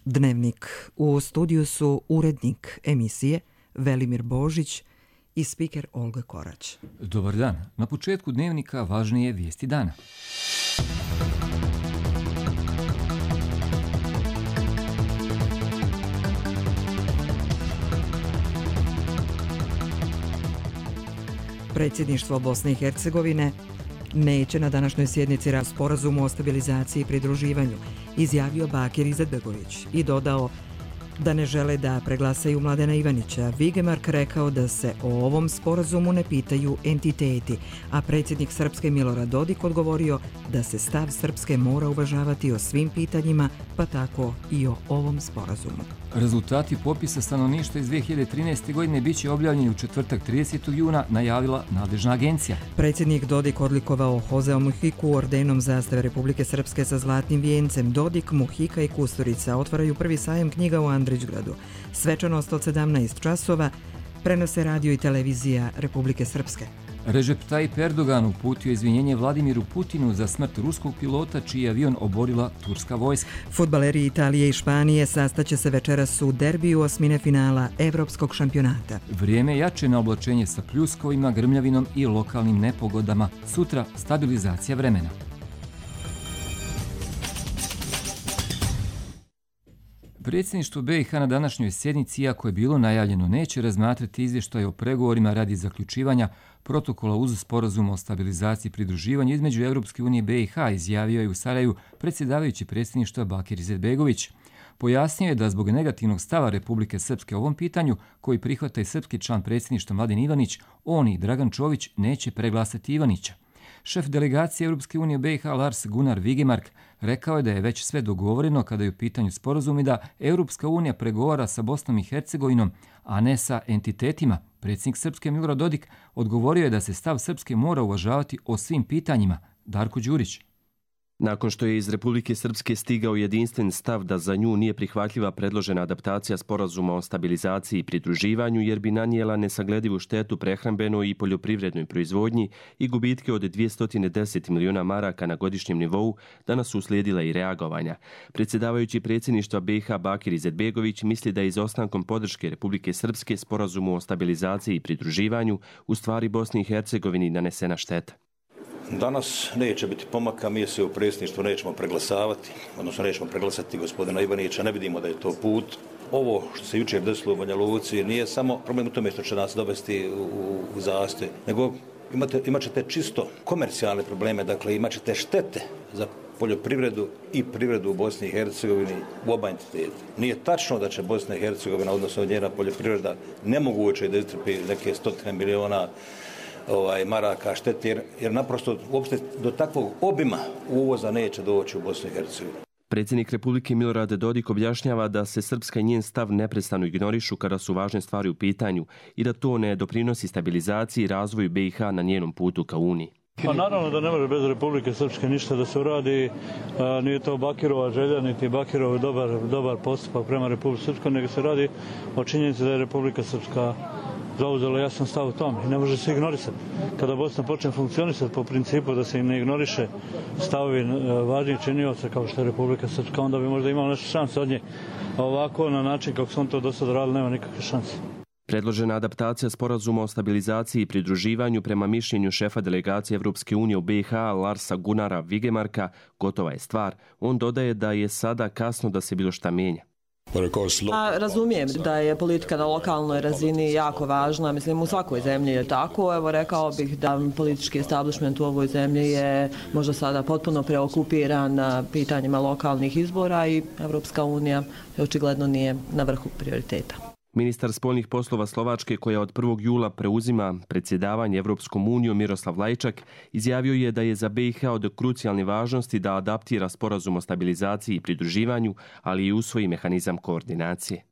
Dnevnik. U studiju su urednik emisije Velimir Božić i spiker Olga Korać. Dobar dan. Na početku Dnevnika važnije vijesti dana. Predsjedništvo Bosne i Hercegovine neće na današnjoj sjednici o sporazumu o stabilizaciji i pridruživanju, izjavio Bakir Izetbegović i dodao da ne žele da preglasaju Mladena Ivanića. Vigemark rekao da se o ovom sporazumu ne pitaju entiteti, a predsjednik Srpske Milorad Dodik odgovorio da se stav Srpske mora uvažavati o svim pitanjima, pa tako i o ovom sporazumu. Rezultati popisa stanovništva iz 2013. godine bit će objavljeni u četvrtak 30. juna, najavila nadležna agencija. Predsjednik Dodik odlikovao Hozea Muhiku ordenom zastave Republike Srpske sa zlatnim vijencem. Dodik, Muhika i Kusturica otvaraju prvi sajam knjiga u Andrićgradu. Svečanost od 17 časova prenose radio i televizija Republike Srpske. Recep Tayyip Erdogan uputio izvinjenje Vladimiru Putinu za smrt ruskog pilota čiji je avion oborila turska vojska. Fudbaleri Italije i Španije sastaće se večeras u derbiju osmine finala Evropskog šampionata. Vrijeme jače na oblačenje sa pljuskovima, grmljavinom i lokalnim nepogodama. Sutra stabilizacija vremena. Predsjedništvo BiH na današnjoj sjednici, iako je bilo najavljeno, neće razmatrati izvještaj o pregovorima radi zaključivanja protokola uz sporazum o stabilizaciji i pridruživanju između Europske unije i BiH, izjavio je u Sarajevu predsjedavajući predsjedništva Bakir Izetbegović. Pojasnio je da zbog negativnog stava Republike Srpske o ovom pitanju, koji prihvata i srpski član predsjedništva Mladen Ivanić, on i Dragan Čović neće preglasati Ivanića. Šef delegacije Europske unije BiH Lars Gunnar Vigemark rekao je da je već sve dogovoreno kada je u pitanju sporazum i da Europska unija pregovara sa Bosnom i Hercegovinom, a ne sa entitetima. Predsjednik Srpske Milorad Dodik odgovorio je da se stav Srpske mora uvažavati o svim pitanjima. Darko Đurić. Nakon što je iz Republike Srpske stigao jedinstven stav da za nju nije prihvatljiva predložena adaptacija sporazuma o stabilizaciji i pridruživanju jer bi nanijela nesagledivu štetu prehrambenoj i poljoprivrednoj proizvodnji i gubitke od 210 miliona maraka na godišnjem nivou, danas su uslijedila i reagovanja. Predsjedavajući predsjedništva BiH Bakir Izetbegović misli da je izostankom podrške Republike Srpske sporazumu o stabilizaciji i pridruživanju u stvari Bosni i Hercegovini nanesena šteta. Danas neće biti pomaka, mi se u predsjedništvu nećemo preglasavati, odnosno nećemo preglasati gospodina Ivanića, ne vidimo da je to put. Ovo što se jučer desilo u Banja Luci nije samo problem u tome što će nas dovesti u zastoj, nego imat ćete čisto komercijalne probleme, dakle imat ćete štete za poljoprivredu i privredu u Bosni i Hercegovini u oba entiteta. Nije tačno da će Bosna i Hercegovina, odnosno njena poljoprivreda, nemoguće da istrpi neke 100 miliona maraka štete, jer naprosto uopšte do takvog obima uvoza neće doći u Bosnu i Hercegovinu. Predsjednik Republike Milorad Dodik objašnjava da se Srpska i njen stav neprestano ignorišu kada su važne stvari u pitanju i da to ne doprinosi stabilizaciji i razvoju BiH na njenom putu ka Uniji. Pa naravno da ne može bez Republike Srpske ništa da se uradi, nije to Bakirova želja, niti Bakirov dobar postupak prema Republike Srpskoj, nego se radi o činjenici da je Republika Srpska zauzela jasan stav u tome i ne može se ignorisati. Kada Bosna počne funkcionisati po principu da se ne ignoriše stavovi važnijih činioca kao što je Republika Srpska, onda bi možda imala nešto šanse od nje. Ovako, na način kako su on to do sada radili, nema nikakve šanse. Predložena adaptacija sporazuma o stabilizaciji i pridruživanju prema mišljenju šefa delegacije Evropske unije u BiH Larsa Gunnara Vigemarka gotova je stvar. On dodaje da je sada kasno da se bilo šta mijenja. Razumijem da je politika na lokalnoj razini jako važna, mislim u svakoj zemlji je tako. Evo rekao bih da politički establishment u ovoj zemlji je možda sada potpuno preokupiran pitanjima lokalnih izbora i Evropska unija očigledno nije na vrhu prioriteta. Ministar spoljnih poslova Slovačke, koja od 1. jula preuzima predsjedavanje Evropskom unijom, Miroslav Lajčak, izjavio je da je za BiH od krucijalne važnosti da adaptira sporazum o stabilizaciji i pridruživanju, ali i usvoji mehanizam koordinacije.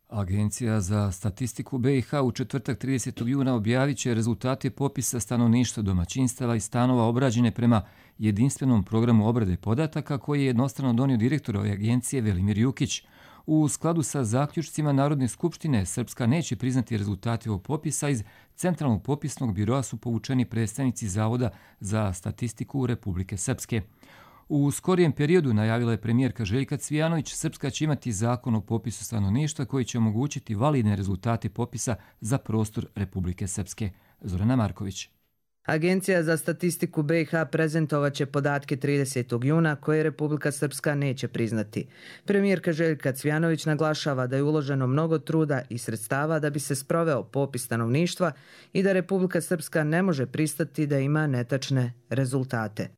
Agencija za statistiku BiH u četvrtak 30. juna objavit će rezultate popisa stanovništva, domaćinstava i stanova obrađene prema jedinstvenom programu obrade podataka koji je jednostrano donio direktor ove agencije Velimir Jukić. U skladu sa zaključcima Narodne skupštine, Srpska neće priznati rezultate ovog popisa. Iz Centralnog popisnog biroa su povučeni predstavnici Zavoda za statistiku Republike Srpske. U skorijem periodu, najavila je premijerka Željka Cvijanović, Srpska će imati zakon o popisu stanovništva koji će omogućiti validne rezultate popisa za prostor Republike Srpske. Zorana Marković. Agencija za statistiku BiH prezentovat će podatke 30. juna koje Republika Srpska neće priznati. Premijerka Željka Cvijanović naglašava da je uloženo mnogo truda i sredstava da bi se sproveo popis stanovništva i da Republika Srpska ne može pristati da ima netačne rezultate.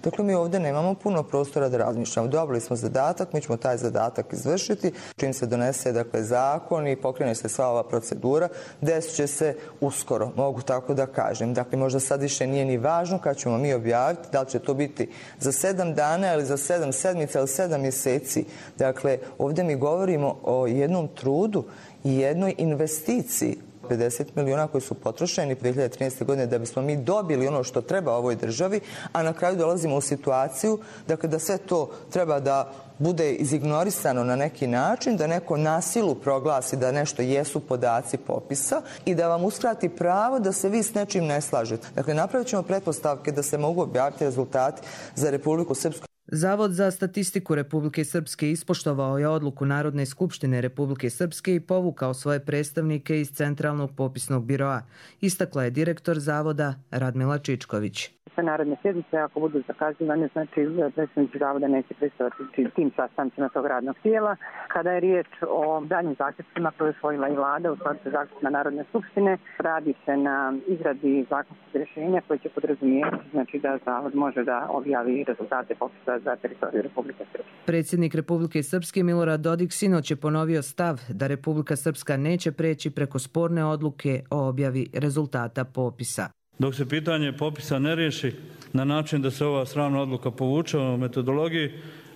Dakle, mi ovdje nemamo puno prostora da razmišljamo. Dobili smo zadatak, mi ćemo taj zadatak izvršiti. Čim se donese zakon i pokrene se sva ova procedura, desit će se uskoro, mogu tako da kažem. Dakle, možda sad više nije ni važno kad ćemo mi objaviti, da li će to biti za 7 dana ili za 7 sedmica ili 7 mjeseci. Dakle, ovdje mi govorimo o jednom trudu i jednoj investiciji. 50 milijuna koji su potrošeni 2013. godine da bismo mi dobili ono što treba ovoj državi, a na kraju dolazimo u situaciju da sve to treba da bude izignorisano na neki način, da neko na silu proglasi da nešto jesu podaci popisa i da vam uskrati pravo da se vi s nečim ne slažete. Dakle, napravit ćemo pretpostavke da se mogu objaviti rezultati za Republiku Srpsku. Zavod za statistiku Republike Srpske ispoštovao je odluku Narodne skupštine Republike Srpske i povukao svoje predstavnike iz Centralnog popisnog biroa, istakla je direktor zavoda Radmila Čičković. Sve narodne sjednice, ako budu zakazivane, znači predstavnici zavoda neće prisustvovati tim sastancima tog radnog tijela. Kada je riječ o daljnjim zaključcima koje je usvojila i vlada u skladu sa zaključcima Narodne skupštine, radi se na izradi zakonskog rješenja koje će podrazumijevati, znači da zavod može da objavi rezultate popisa za teritoriju Republike Srpske. Predsjednik Republike Srpske Milorad Dodik sinoć je ponovio stav da Republika Srpska neće preći preko sporne odluke o objavi rezultata popisa. Dok se pitanje popisa ne riješi na način da se ova sramna odluka povuče o metodologiji,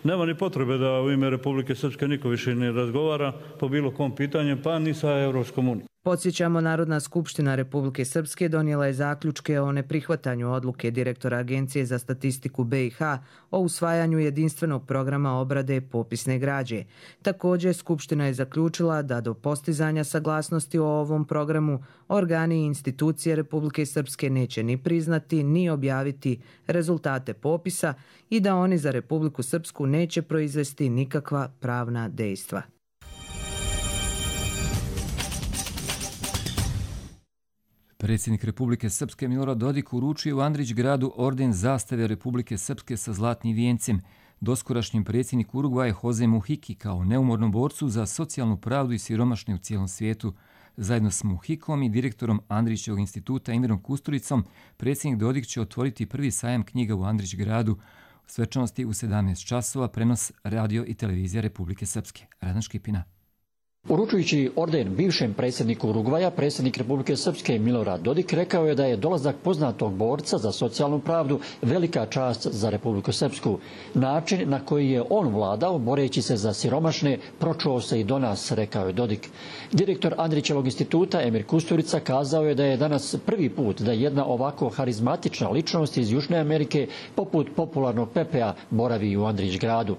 nema ni potrebe da u ime Republike Srpske niko više ne razgovara po bilo kom pitanju, pa ni sa Europskom unijom. Podsjećamo, Narodna skupština Republike Srpske donijela je zaključke o neprihvatanju odluke direktora Agencije za statistiku BiH o usvajanju jedinstvenog programa obrade popisne građe. Također, Skupština je zaključila da do postizanja saglasnosti o ovom programu organi i institucije Republike Srpske neće ni priznati ni objaviti rezultate popisa i da oni za Republiku Srpsku neće proizvesti nikakva pravna dejstva. Predsjednik Republike Srpske Milorad Dodik uručio u Andrićgradu orden zastave Republike Srpske sa zlatnim vijencem doskorašnjem predsjedniku Urugvaja Jose Muhiki kao neumornom borcu za socijalnu pravdu i siromašne u cijelom svijetu. Zajedno s Muhikom i direktorom Andrićevog instituta Emirom Kusturicom, predsjednik Dodik će otvoriti prvi sajam knjiga u Andrićgradu. Svečanosti u 17 časova, prenos radio i televizija Republike Srpske. Radan Škipina. Uručujući orden bivšem predsjedniku Urugvaja, predsjednik Republike Srpske Milorad Dodik rekao je da je dolazak poznatog borca za socijalnu pravdu velika čast za Republiku Srpsku. Način na koji je on vladao, boreći se za siromašne, pročuo se i do nas, rekao je Dodik. Direktor Andrićevog instituta Emir Kusturica kazao je da je danas prvi put da jedna ovako harizmatična ličnost iz Južne Amerike, poput popularnog Pepea, boravi u Andrićgradu.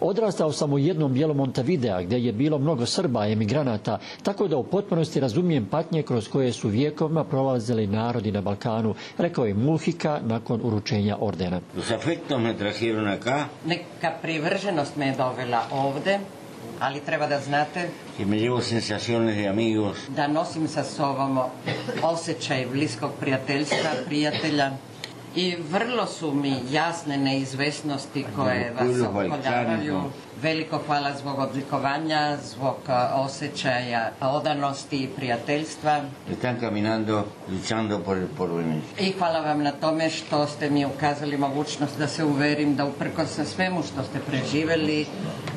Odrastao sam u jednom dijelu Montevidea gdje je bilo mnogo Srba i emigranata, tako da u potpunosti razumijem patnje kroz koje su vijekovima prolazili narodi na Balkanu, rekao je Muhika nakon uručenja ordena. Neka privrženost me je dovela ovde, ali treba da znate da nosim sa sobom osjećaj bliskog prijateljstva, prijatelja. I vrlo su mi jasne neizvesnosti koje vas opkoljavaju. Veliko hvala zbog odlikovanja, zbog osjećaja odanosti i prijateljstva. I hvala vam na tome što ste mi ukazali mogućnost da se uverim da uprkos svemu što ste preživjeli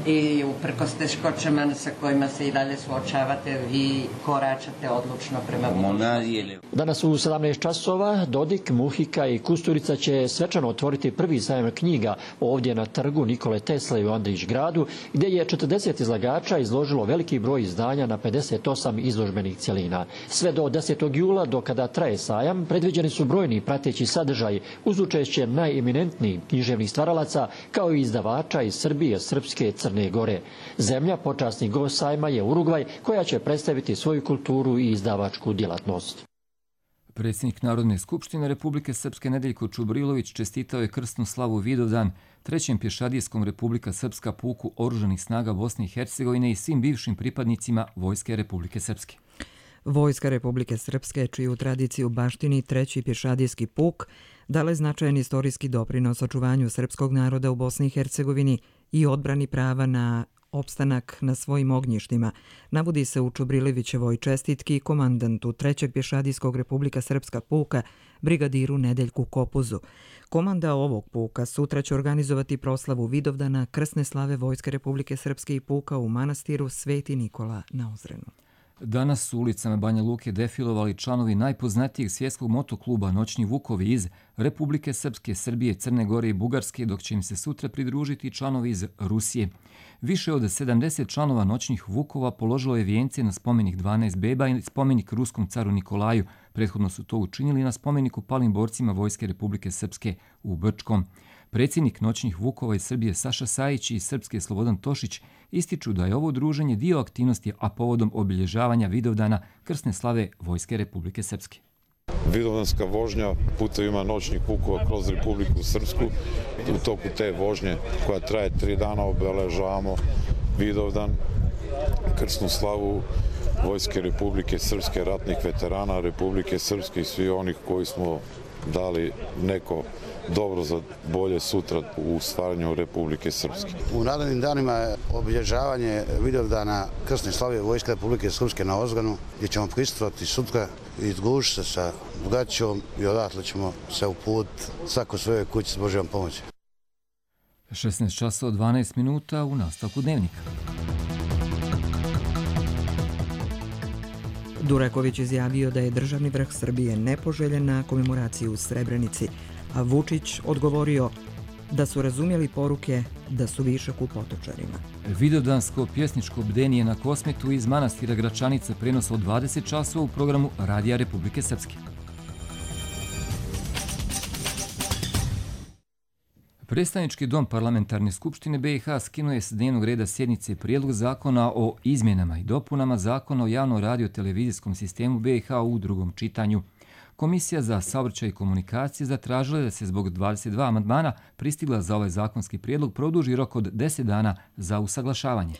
i uprkos teškoćama sa kojima se i dalje suočavate, vi koračate odlučno prema budućnosti. Danas u 17 časova Dodik, Muhika i Kusturica će svečano otvoriti prvi sajam knjiga ovdje na trgu Nikole Tesle u Andrićgradu, gdje je 40 izlagača izložilo veliki broj izdanja na 58 izložbenih cjelina. Sve do 10. jula, do kada traje sajam, predviđeni su brojni prateći sadržaji uz učešće najeminentnijih književnih stvaralaca kao i izdavača iz Srbije, Srpske, Crne Gore. Zemlja počasni gost sajma je Urugvaj, koja će predstaviti svoju kulturu i izdavačku djelatnost. Predsjednik Narodne skupštine Republike Srpske Nedeljko Čubrilović čestitao je krsnu slavu Vidovdan Trećem pješadijskom Republika Srpska puku oružanih snaga Bosne i Hercegovine i svim bivšim pripadnicima Vojske Republike Srpske. Vojska Republike Srpske, čiju tradiciju baštini treći pješadijski puk, dala je značajan istorijski doprinos očuvanju srpskog naroda u Bosni i Hercegovini i odbrani prava na opstanak na svojim ognjištima, navodi se u Čubrilevićevoj čestitki komandantu trećeg pješadijskog Republika Srpska puka, brigadiru Nedeljku Kopuzu. Komanda ovog puka sutra će organizovati proslavu Vidovdana krsne slave Vojske Republike Srpske i puka u manastiru Sveti Nikola na Ozrenu. Danas su ulicama Banja Luke defilovali članovi najpoznatijeg svjetskog motokluba Noćni vukovi iz Republike Srpske, Srbije, Crne Gore i Bugarske, dok će im se sutra pridružiti članovi iz Rusije. Više od 70 članova Noćnih vukova položilo je vijence na spomenik 12 beba i spomenik ruskom caru Nikolaju. Prethodno su to učinili na spomeniku palim borcima Vojske Republike Srpske u Brčkom. Predsjednik Noćnih vukova iz Srbije Saša Sajić i Srpske Slobodan Tošić ističu da je ovo druženje dio aktivnosti, a povodom obilježavanja Vidovdana krsne slave Vojske Republike Srpske. Vidovdanska vožnja putevima Noćnih vukova kroz Republiku Srpsku. U toku te vožnje koja traje 3 dana obeležavamo Vidovdan, krsnu slavu Vojske Republike Srpske, ratnih veterana Republike Srpske i svi onih koji smo dali neko dobro za bolje sutra u stvaranju Republike Srpske. U narednim danima je obilježavanje Vidovdana krsne slave Vojske Republike Srpske na Ozganu, gdje ćemo prisustvovati sutra i družiti se sa braćom i odatle ćemo se uput svako svojoj kući s Božjom pomoći. 16 časova 12 minuta u nastavku dnevnika. Duraković izjavio da je državni vrh Srbije nepoželjen na komemoraciju u Srebrenici, a Vučić odgovorio da su razumjeli poruke da su višak u Potočarima. Vidovdansko pjesničko bdenije na Kosmetu iz manastira Gračanica prenosa od 20 časova u programu Radija Republike Srpske. Predstavnički dom Parlamentarne skupštine BiH skinuje s dnevnog reda sjednice prijedlog zakona o izmjenama i dopunama zakona o javnom radio-televizijskom sistemu BiH u drugom čitanju. Komisija za saobraćaj i komunikacije zatražila da se zbog 22 amandmana pristigla za ovaj zakonski prijedlog produži rok od 10 dana za usaglašavanje.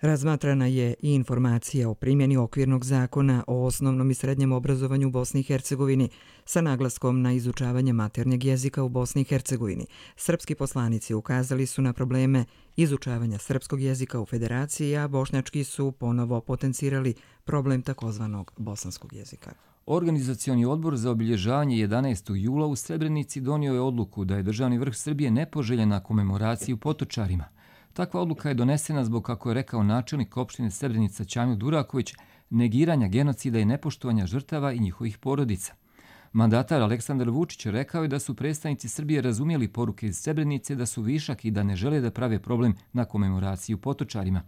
Razmatrana je i informacija o primjeni okvirnog zakona o osnovnom i srednjem obrazovanju u Bosni i Hercegovini sa naglaskom na izučavanje maternjeg jezika u Bosni i Hercegovini. Srpski poslanici ukazali su na probleme izučavanja srpskog jezika u federaciji, a bošnjački su ponovo potencirali problem takozvanog bosanskog jezika. Organizacioni odbor za obilježavanje 11. jula u Srebrenici donio je odluku da je državni vrh Srbije nepoželjen na komemoraciji u Potočarima. Takva odluka je donesena zbog, kako je rekao načelnik opštine Srebrenica Ćamil Duraković, negiranja genocida i nepoštovanja žrtava i njihovih porodica. Mandatar Aleksandar Vučić rekao je da su predstavnici Srbije razumjeli poruke iz Srebrenice da su višak i da ne žele da prave problem na komemoraciji u Potočarima.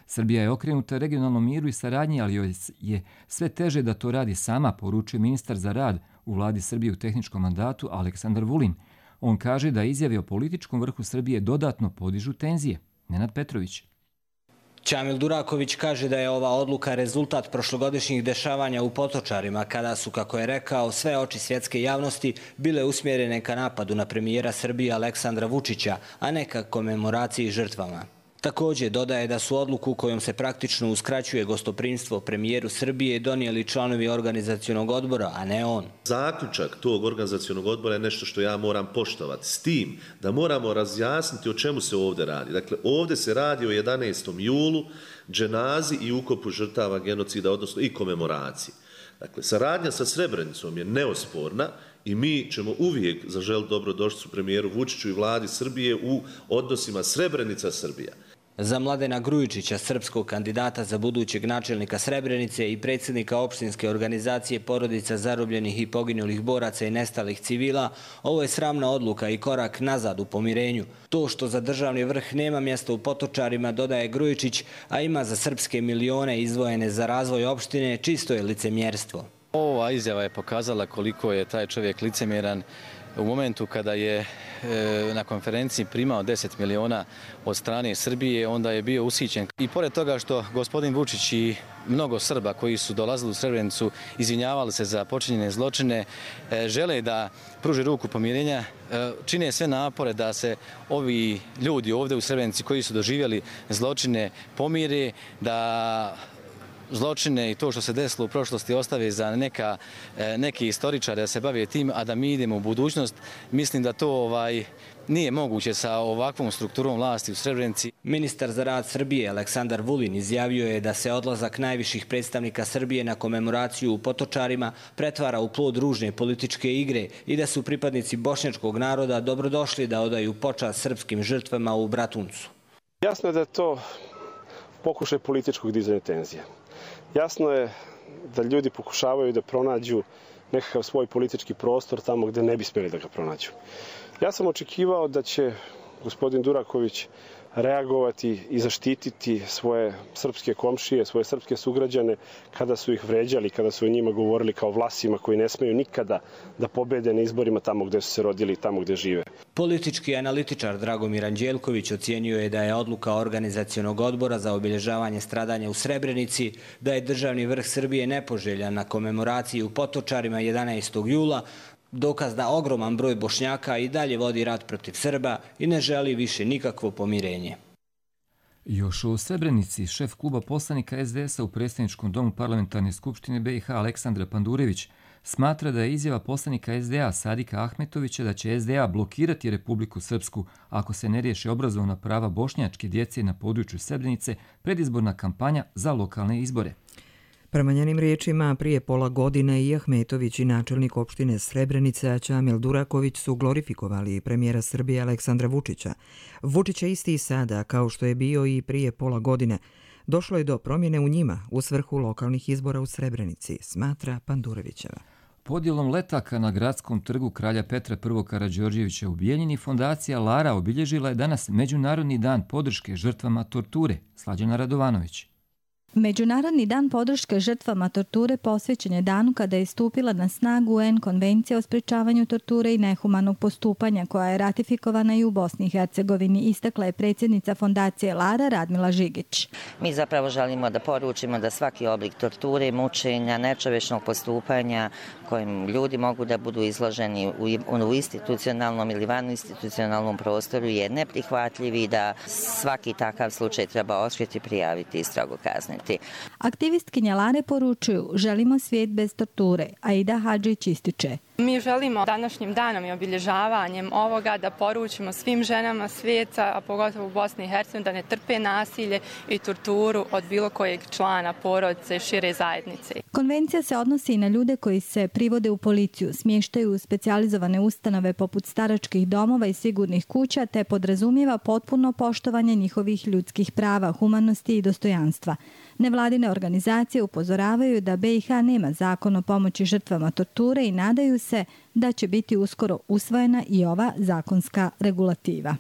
Srbija je okrenuta regionalnom miru i saradnji, ali joj je sve teže da to radi sama, poručuje ministar za rad u vladi Srbije u tehničkom mandatu Aleksandar Vulin. On kaže da izjave o političkom vrhu Srbije dodatno podižu tenzije. Nenad Petrović. Ćamil Duraković kaže da je ova odluka rezultat prošlogodišnjih dešavanja u Potočarima, kada su, kako je rekao, sve oči svjetske javnosti bile usmjerene ka napadu na premijera Srbije Aleksandra Vučića, a ne ka komemoraciji žrtvama. Također dodaje da su odluku kojom se praktično uskraćuje gostoprimstvo premijeru Srbije donijeli članovi organizacionog odbora, a ne on. Zaključak tog organizacionog odbora je nešto što ja moram poštovati, s tim da moramo razjasniti o čemu se ovdje radi. Dakle, ovdje se radi o 11. julu, dženazi i ukopu žrtava genocida, odnosno i komemoraciji. Dakle, saradnja sa Srebrenicom je neosporna i mi ćemo uvijek zaželiti dobrodošlicu premijeru Vučiću i vladi Srbije u odnosima Srebrenica-Srbija. Za Mladena Grujičića, srpskog kandidata za budućeg načelnika Srebrenice i predsjednika opštinske organizacije porodica zarobljenih i poginulih boraca i nestalih civila, ovo je sramna odluka i korak nazad u pomirenju. To što za državni vrh nema mjesta u Potočarima, dodaje Grujičić, a ima za srpske milione izdvojene za razvoj opštine, čisto je licemjerstvo. Ova izjava je pokazala koliko je taj čovjek licemjeran u momentu kada je na konferenciji primao 10 miliona od strane Srbije, onda je bio usićen. I pored toga što gospodin Vučić i mnogo Srba koji su dolazili u Srebrenicu izvinjavali se za počinjene zločine, žele da pruže ruku pomirenja, čine sve napore da se ovi ljudi ovdje u Srebrenici koji su doživjeli zločine pomire, da zločine i to što se desilo u prošlosti ostave za neki istoričari da se bave tim, a da mi idemo u budućnost. Mislim da to nije moguće sa ovakvom strukturom vlasti u Srebrenici. Ministar za rad Srbije Aleksandar Vulin izjavio je da se odlazak najviših predstavnika Srbije na komemoraciju u Potočarima pretvara u plod ružne političke igre i da su pripadnici bošnjačkog naroda dobrodošli da odaju počast srpskim žrtvama u Bratuncu. Jasno je da je to pokušaj političkog dizanja tenzija. Jasno je da ljudi pokušavaju da pronađu nekakav svoj politički prostor tamo gde ne bi smjeli da ga pronađu. Ja sam očekivao da će gospodin Duraković reagovati i zaštititi svoje srpske komšije, svoje srpske sugrađane kada su ih vređali, kada su o njima govorili kao Vlasima koji ne smeju nikada da pobede na izborima tamo gde su se rodili i tamo gde žive. Politički analitičar Dragomir Anđelković ocijenio je da je odluka Organizacionog odbora za obilježavanje stradanja u Srebrenici, da je državni vrh Srbije nepoželjan na komemoraciji u Potočarima 11. jula, dokaz da ogroman broj Bošnjaka i dalje vodi rat protiv Srba i ne želi više nikakvo pomirenje. Još u Srebrenici šef kluba poslanika SDS-a u predsjedničkom domu parlamentarne skupštine BiH Aleksandra Pandurević smatra da je izjava poslanika SDA Sadika Ahmetovića da će SDA blokirati Republiku Srpsku ako se ne riješi obrazovna prava bošnjačke djece na području Srebrenice predizborna kampanja za lokalne izbore. Prema njenim riječima, prije pola godine i Ahmetović i načelnik opštine Srebrenica Čamil Duraković su glorifikovali premijera Srbije Aleksandra Vučića. Vučić je isti i sada, kao što je bio i prije pola godine. Došlo je do promjene u njima u svrhu lokalnih izbora u Srebrenici, smatra Pandurevićeva. Podjelom letaka na gradskom trgu kralja Petra I. Karađorđevića u Bijeljini fondacija Lara obilježila je danas Međunarodni dan podrške žrtvama torture. Slađana Radovanović. Međunarodni dan podrške žrtvama torture posvećen je danu kada je stupila na snagu UN konvencija o sprečavanju torture i nehumanog postupanja koja je ratifikovana i u Bosni i Hercegovini, istakla je predsjednica fondacije Lara Radmila Žigić. Mi zapravo želimo da poručimo da svaki oblik torture, mučenja, nečovječnog postupanja kojim ljudi mogu da budu izloženi u institucionalnom ili vaninstitucionalnom prostoru je neprihvatljiv i da svaki takav slučaj treba otkriti, prijaviti i strogo kazniti. Aktivistkinja Lare poručuju, želimo svijet bez torture, Aida Hadžić ističe. Mi želimo današnjim danom i obilježavanjem ovoga da poručimo svim ženama svijeta, a pogotovo u Bosni i Hercegovini, da ne trpe nasilje i torturu od bilo kojeg člana porodice i šire zajednice. Konvencija se odnosi i na ljude koji se privode u policiju, smještaju u specijalizovane ustanove poput staračkih domova i sigurnih kuća, te podrazumijeva potpuno poštovanje njihovih ljudskih prava, humanosti i dostojanstva. Nevladine organizacije upozoravaju da BiH nema zakon o pomoći žrtvama torture i nadaju se da će biti uskoro usvojena i ova zakonska regulativa.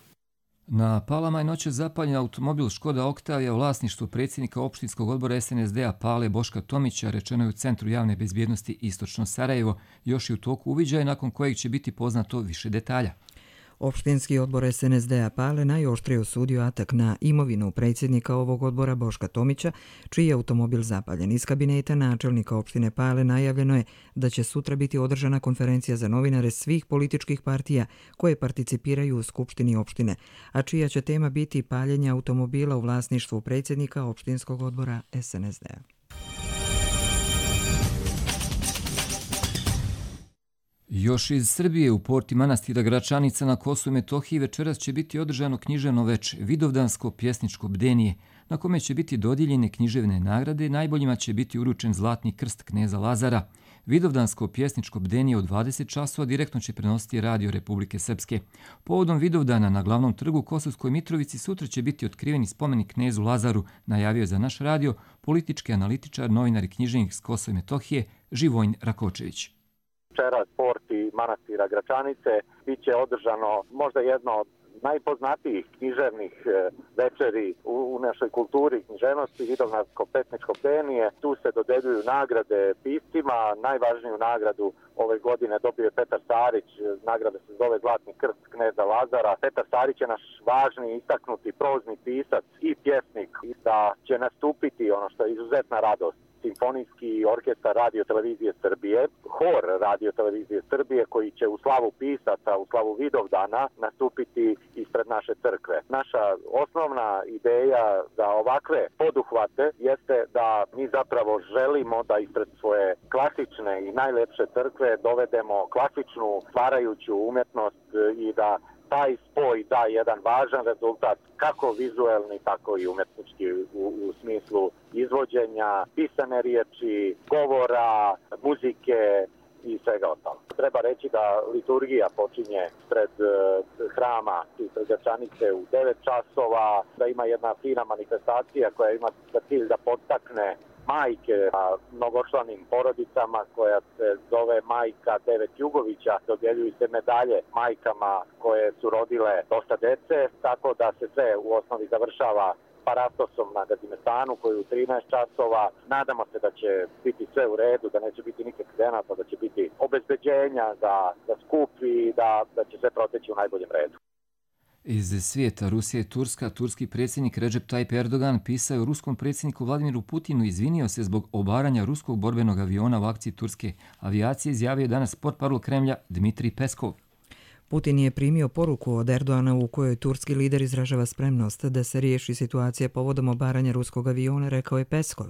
Na Palama je noće zapaljen automobil Škoda Oktavija u vlasništvu predsjednika opštinskog odbora SNSD-a Pale Boška Tomića, rečeno je u Centru javne bezbjednosti Istočno Sarajevo, još i u toku uviđaja nakon kojeg će biti poznato više detalja. Opštinski odbor SNSD-a Pale najoštrije osudio atak na imovinu predsjednika ovog odbora Boška Tomića, čiji je automobil zapaljen. Iz kabineta načelnika opštine Pale najavljeno je da će sutra biti održana konferencija za novinare svih političkih partija koje participiraju u skupštini opštine, a čija će tema biti paljenje automobila u vlasništvu predsjednika opštinskog odbora SNSD-a. Još iz Srbije u porti manastira Gračanica na Kosovu i Metohiji večeras će biti održano književno veče, vidovdansko pjesničko bdenije, na kome će biti dodijeljene književne nagrade, najboljima će biti uručen Zlatni krst kneza Lazara. Vidovdansko pjesničko bdenije od 20 časova direktno će prenositi Radio Republike Srpske. Povodom Vidovdana na glavnom trgu u Kosovskoj Mitrovici sutra će biti otkriveni spomenik knezu Lazaru, najavio za naš radio politički analitičar, novinar i književnik s Kosova i Metohije Živojin Rakočević. Večeras porti manastira Gračanice biće održano možda jedno od najpoznatijih književnih večeri u našoj kulturi književnosti, Vidovdansko-pesničko bdenije. Tu se dodeljuju nagrade piscima. Najvažniju nagradu ove godine dobio je Petar Starić, nagrada se zove Zlatni krst kneza Lazara. Petar Starić je naš važni, istaknuti prozni pisac i pjesnik, da će nastupiti, ono što je izuzetna radost, Simfonijski orkestar Radio Televizije Srbije, hor Radio Televizije Srbije, koji će u slavu pisaca, u slavu Vidovdana nastupiti ispred naše crkve. Naša osnovna ideja za ovakve poduhvate jeste da mi zapravo želimo da ispred svoje klasične i najlepše crkve dovedemo klasičnu stvarajuću umjetnost i da taj spoj da jedan važan rezultat, kako vizuelni, tako i umjetnički u smislu izvođenja, pisane riječi, govora, muzike i svega ostalo. Treba reći da liturgija počinje pred hrama ispred Gračanice u 9 časova, da ima jedna fina manifestacija koja ima za cilj da podstakne majke a mnogočlanim porodicama, koja se zove Majka Devet Jugovića. Dodjeljuju se medalje majkama koje su rodile dosta dece, tako da se sve u osnovi završava paratosom na Gazimestanu koji u 13 časova. Nadamo se da će biti sve u redu, da neće biti nikakvih akcidenata, da će biti obezbeđenja za skup i da će sve proteći u najboljem redu. Iz svijeta Rusija i Turska, turski predsjednik Recep Tayyip Erdogan pisao je ruskom predsjedniku Vladimiru Putinu i izvinio se zbog obaranja ruskog borbenog aviona u akciji turske avijacije, izjavio je danas portparol Kremlja Dmitrij Peskov. Putin je primio poruku od Erdogana u kojoj turski lider izražava spremnost da se riješi situacija povodom obaranja ruskog aviona, rekao je Peskov.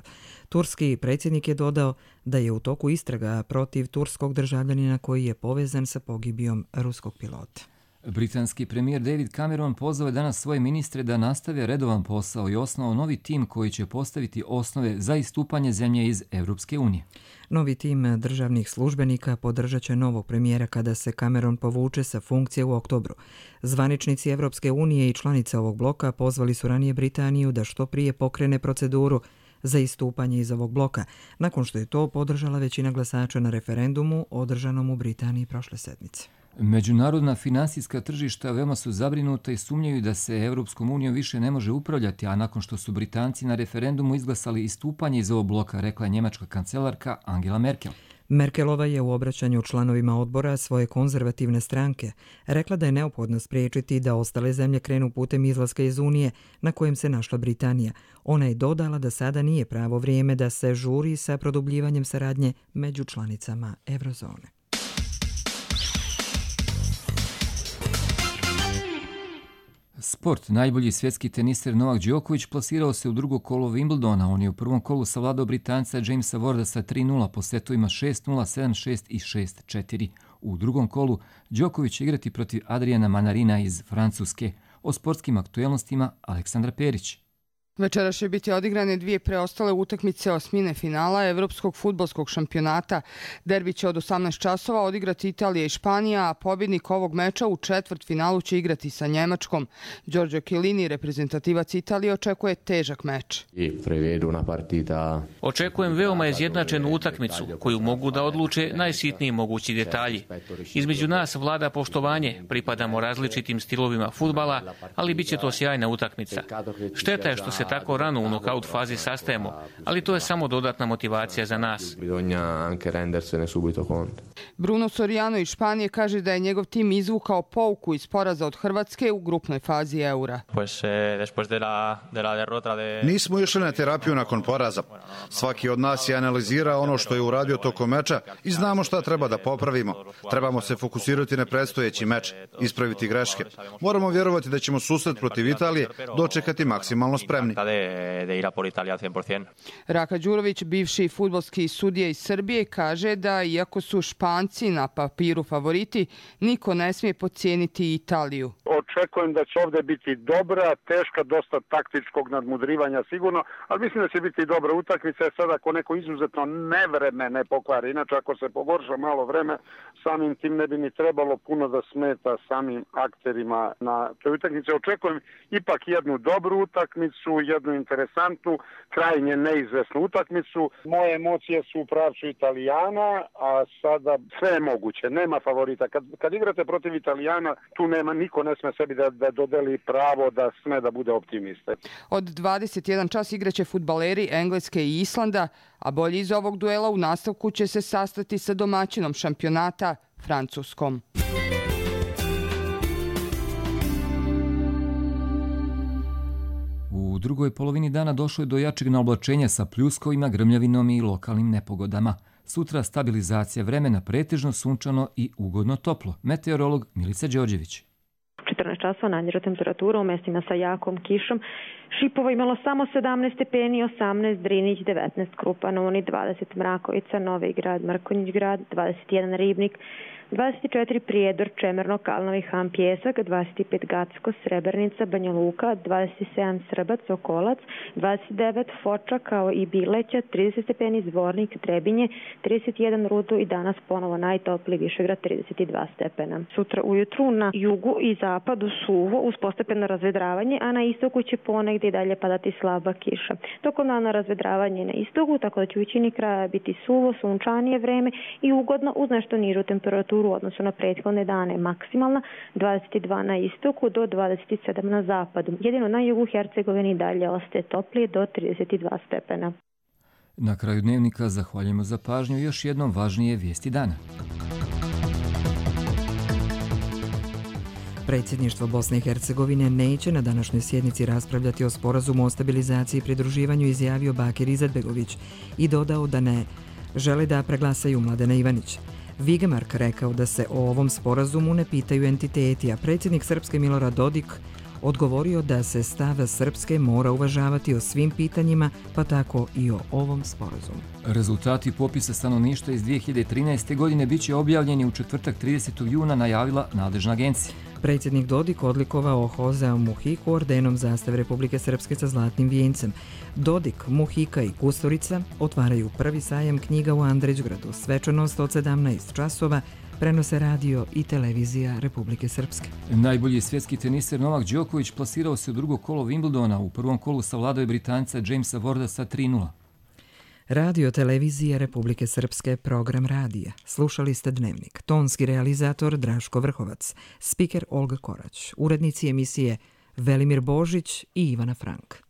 Turski predsjednik je dodao da je u toku istraga protiv turskog državljanina koji je povezan sa pogibijom ruskog pilota. Britanski premijer David Cameron pozvao je danas svoje ministre da nastave redovan posao i osnovao novi tim koji će postaviti osnove za istupanje zemlje iz Europske unije. Novi tim državnih službenika podržat će novog premijera kada se Cameron povuče sa funkcije u oktobru. Zvaničnici Europske unije i članice ovog bloka pozvali su ranije Britaniju da što prije pokrene proceduru za istupanje iz ovog bloka, nakon što je to podržala većina glasača na referendumu održanom u Britaniji prošle sedmice. Međunarodna finansijska tržišta veoma su zabrinuta i sumnjaju da se Europskom unijom više ne može upravljati, a nakon što su Britanci na referendumu izglasali istupanje iz ovog bloka, rekla je njemačka kancelarka Angela Merkel. Merkelova je u obraćanju članovima odbora svoje konzervativne stranke rekla da je neophodno spriječiti da ostale zemlje krenu putem izlaska iz Unije na kojem se našla Britanija. Ona je dodala da sada nije pravo vrijeme da se žuri sa produbljivanjem saradnje među članicama Eurozone. Sport. Najbolji svjetski teniser Novak Đoković plasirao se u drugo kolo Wimbledona. On je u prvom kolu savladao Britanca Jamesa Warda sa 3-0 po setovima 6-0, 7-6 i 6-4. U drugom kolu Đoković će igrati protiv Adriana Manarina iz Francuske. O sportskim aktuelnostima Aleksandra Perić. Večeras će biti odigrane dvije preostale utakmice osmine finala Evropskog fudbalskog šampionata. Derbi će od 18 časova odigrati Italija i Španija, a pobjednik ovog meča u četvrtfinalu će igrati sa Njemačkom. Giorgio Chiellini, reprezentativac Italije, očekuje težak meč. Očekujem veoma izjednačenu utakmicu koju mogu da odluče najsitniji mogući detalji. Između nas vlada poštovanje, pripadamo različitim stilovima fudbala, ali bit će to sjajna utakmica. Šteta je što se tako rano u nokaut fazi sastajemo, ali to je samo dodatna motivacija za nas. Bruno Soriano iz Španije kaže da je njegov tim izvukao pouku iz poraza od Hrvatske u grupnoj fazi Eura. Nismo išli na terapiju nakon poraza. Svaki od nas je analizirao ono što je uradio tokom meča i znamo šta treba da popravimo. Trebamo se fokusirati na predstojeći meč, ispraviti greške. Moramo vjerovati da ćemo susret protiv Italije dočekati maksimalno spremni. Raka Đurović, bivši fudbalski sudija iz Srbije, kaže da iako su Španci na papiru favoriti, niko ne smije podcijeniti Italiju. Očekujem da će ovdje biti dobra, teška, dosta taktičkog nadmudrivanja sigurno, ali mislim da će biti dobra utakmica. Sad ako neko izuzetno nevreme ne pokvari, inače ako se pogorša malo vreme, samim tim ne bi ni trebalo puno da smeta samim akterima na toj utakmici. Očekujem ipak jednu dobru utakmicu, jednu interesantnu, krajnje neizvesnu utakmicu. Moje emocije su u pravcu Italijana, a sada sve je moguće, nema favorita. Kad igrate protiv Italijana, tu nema, niko ne sme sebi sebi da dodeli pravo da sme da bude optimista. Od 21 čas igraće fudbaleri Engleske i Islanda, a bolji iz ovog duela u nastavku će se sastati sa domaćinom šampionata Francuskom. U drugoj polovini dana došlo je do jačeg naoblačenja sa pljuskovima, grmljavinom i lokalnim nepogodama. Sutra stabilizacija vremena, pretežno sunčano i ugodno toplo. Meteorolog Milica Đorđević. 14 časova najniža temperatura u mestima sa jakom kišom. Šipovo imalo samo 17 stepeni, 18 Drinić, 19 Krupan, Uni, 20 Mrakovica, Novi Grad, Mrkonjić Grad, 21 Ribnik, 24 Prijedor, Čemerno, Kalnovi, Han, Pjesak, 25 Gacko, Srebrnica, Banja Luka, 27 Srbac, Okolac, 29 Foča kao i Bileća, 30 stepeni Zvornik, Trebinje, 31 Rudu i danas ponovo najtopliji Višegrad, 32 stepena. Sutra ujutru na jugu i zapadu suvo uz postepeno razvedravanje, a na istoku će ponegdje i dalje padati slaba kiša. Tokom dana razvedravanje na istoku, tako da će u većini kraja biti suvo, sunčanije vreme i ugodno uz nešto nižu temperaturu u odnosu na prethodne dane, maksimalna 22 na istoku do 27 na zapadu. Jedino na jugu Hercegovini dalje ostaje toplije do 32 stepena. Na kraju dnevnika zahvaljujemo za pažnju i još jednom važnije vijesti dana. Predsjedništvo Bosne i Hercegovine neće na današnjoj sjednici raspravljati o sporazumu o stabilizaciji i pridruživanju, izjavio Bakir Izetbegović i dodao da ne žele da preglasaju Mladena Ivanić. Vigemark rekao da se o ovom sporazumu ne pitaju entiteti, a predsjednik Srpske Milorad Dodik odgovorio da se stav Srpske mora uvažavati o svim pitanjima, pa tako i o ovom sporazumu. Rezultati popisa stanovništva iz 2013. godine biće objavljeni u četvrtak 30. juna, najavila nadležna agencija. Predsjednik Dodik odlikovao Hosea Muhiku ordenom zastave Republike Srpske sa zlatnim vijencem. Dodik, Muhika i Kusturica otvaraju prvi sajam knjiga u Andrićgradu. Svečanost od 17 časova prenose radio i televizija Republike Srpske. Najbolji svjetski teniser Novak Đoković plasirao se u drugo kolo Wimbledona. U prvom kolu savladao je Britanca Jamesa Warda sa 3:0. Radio televizije Republike Srpske, program radija. Slušali ste Dnevnik. Tonski realizator Draško Vrhovac, spiker Olga Korać, urednici emisije Velimir Božić i Ivana Frank.